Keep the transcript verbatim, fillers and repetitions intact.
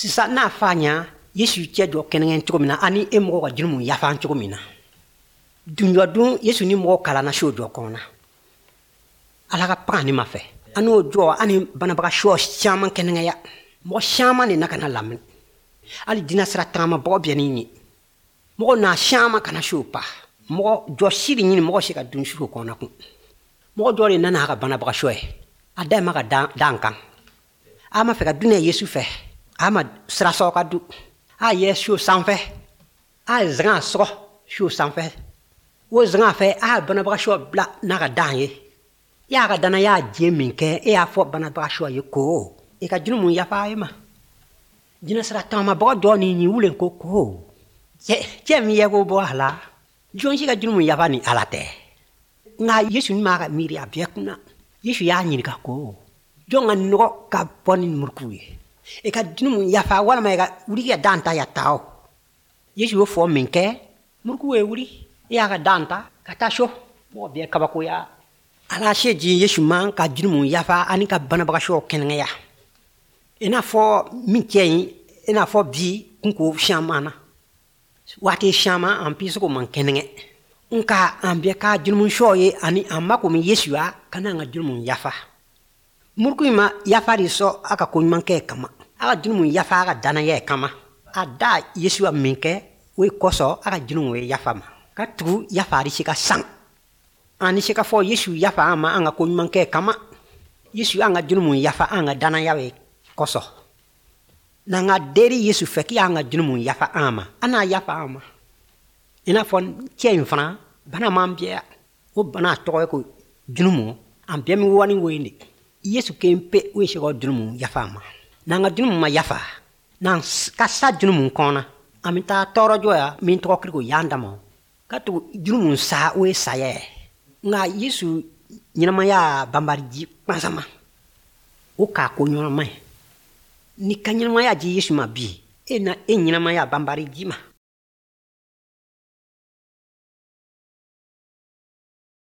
Sisan n'a fa ɲa Yesu cɛ jɔ kɛnɛkɛ cogo min na, ani e mɔgɔ ka jurumu yafa cogo min na. Dunjɔ dun Yesu ni mɔgɔ kalanna so jɔ kɔnɔ. Ala ka paga ni ma fɛ. An n'o jɔ ani banabaga sɔ caman kɛnɛkɛya. Mɔgɔ caman de na ka na lamɛn. Hali jinɛ sira tagama bɔgɔ bɛ ni ye. Mɔgɔ n'a caman kana so pa. Mɔgɔ jɔ si de ɲini mɔgɔ se ka dun so kɔnɔ kun. Mɔgɔ dɔ de nana a ka banabaga sɔ ye. A da ma ka dan kan. A ma fɛ ka dunɛ Yesu fɛ. A ma sira sɔrɔ ka du. A ye so sanfɛ. A ye zan sɔgɔ so sanfɛ. O zan fɛ a ye banabaga sɔ bila n'a ka dan ye. I y'a ka danaya diɲɛ min kɛ, e y'a fɔ banabaga sɔ ye ko i ka jurumu yafa e ma. Jinɛ sira taamabagaw dɔ ni ɲin wulen ko ko cɛ cɛ min ye ko bɔ a la, jɔn si ka jurumu yafa ni Ala tɛ. Nka Yesu ni m'a ka miiri a bɛɛ kunna. Yesu y'a ɲininka ko jɔn ka nɔgɔ ka bɔ ni muruku ye? I ka jurumu yafa walima i ka wuli ka dan ta ya taa o. Yesu y'o fɔ min kɛ, muruku ye wuli, i y'a ka dan ta ka taa so. Mɔgɔ bɛɛ kabakoya. Ala se di Yesu ma ka jurumu yafa ani ka banabaga sɔ kɛnɛya. I n'a fɔ min cɛ ɲi, i n'a fɔ bi kunko caman na. Waati caman an bɛ se k'o man kɛnɛkɛ. Nka an bɛɛ ka jurumu sɔ ye ani an mako min Yesu ya ka n'an ka jurumu yafa. Muruku in ma yafa de sɔn a ka ko ɲuman kɛ kama. A ka jurumu yafa a ka danaya kama. A da Yesu ya min kɛ, o ye kosɔn a ka jurumu ye yafa ma. Ka tugu yafa de se ka san. An ni se ka fɔ Yesu yafa an ma an ka ko ɲuman kɛ kama. Yesu an ka jurumu yafa an ka danaya ye kosɔn. N'an ka deri Yesu fɛ k'i y'an ka jurumu yafa an ma, an n'a yafa an ma. I n'a fɔ cɛ in fana, bana m'an bɛɛ. O bana tɔgɔ ye ko jurumu. An bɛɛ mi wani wo in de. Yesu kelen pe o ye se ka jurumu yafa an ma. N'an ka jurumu ma yafa, n'an ka sa jurumu kɔnɔ, an bɛ taa tɔɔrɔ jɔ ya min tɔgɔ kiri ko yan dama. Ka tugu jurumu sa o ye saya ye. Nka Yesu ɲɛnamaya banbali ji kpansama. O k'a ko ɲɛnama ye. N'i ka ɲɛnamaya di Yesu ma bi, e na e ɲɛnamaya banbali ji ma.